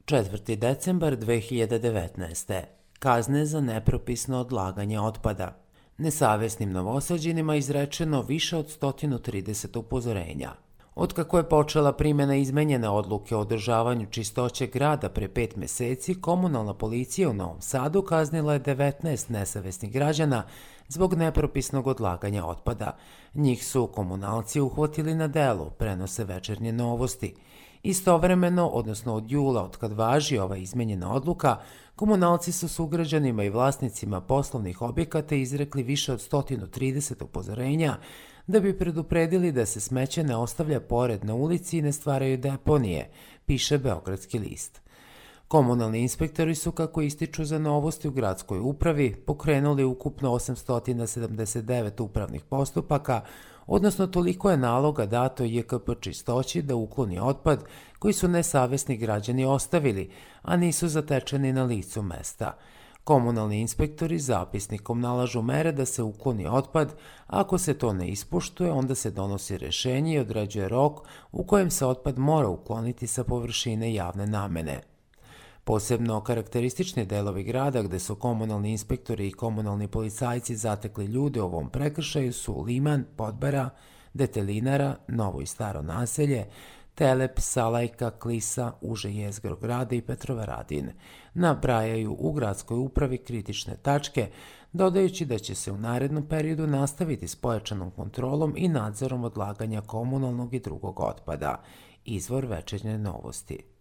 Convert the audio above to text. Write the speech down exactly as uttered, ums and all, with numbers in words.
četvrti decembar dve hiljade devetnaeste. Kazne za nepropisno odlaganje otpada. Nesavesnim Novosađanima izrečeno više od sto trideset upozorenja. Otkako je počela primjena izmenjene odluke o održavanju čistoće grada pre pet meseci, komunalna policija u Novom Sadu kaznila je devetnaest nesavesnih građana zbog nepropisnog odlaganja otpada. Njih su komunalci uhvatili na delu, prenose Večernje novosti. Istovremeno, odnosno od jula, otkad važi ova izmenjena odluka, komunalci su sugrađanima i vlasnicima poslovnih objekata izrekli više od sto trideset upozorenja da bi predupredili da se smeće ne ostavlja pored na ulici i ne stvaraju deponije, piše Beogradski list. Komunalni inspektori su, kako ističu za Novosti u gradskoj upravi, pokrenuli ukupno osamsto sedamdeset devet upravnih postupaka, odnosno toliko je naloga dato J K P Čistoći da ukloni otpad koji su nesavesni građani ostavili, a nisu zatečeni na licu mesta. Komunalni inspektori zapisnikom nalažu mere da se ukloni otpad, a ako se to ne ispoštuje, onda se donosi rešenje i određuje rok u kojem se otpad mora ukloniti sa površine javne namene. Posebno karakteristični delovi grada gde su komunalni inspektori i komunalni policajci zatekli ljude u ovom prekršaju su Liman, Podbara, Detelinara, Novo i Staro naselje, Telep, Salajka, Klisa, uže jezgro grada i Petrovaradin. Nabrajaju u gradskoj upravi kritične tačke, dodajući da će se u narednom periodu nastaviti s pojačanom kontrolom i nadzorom odlaganja komunalnog i drugog otpada. Izvor Večernje novosti.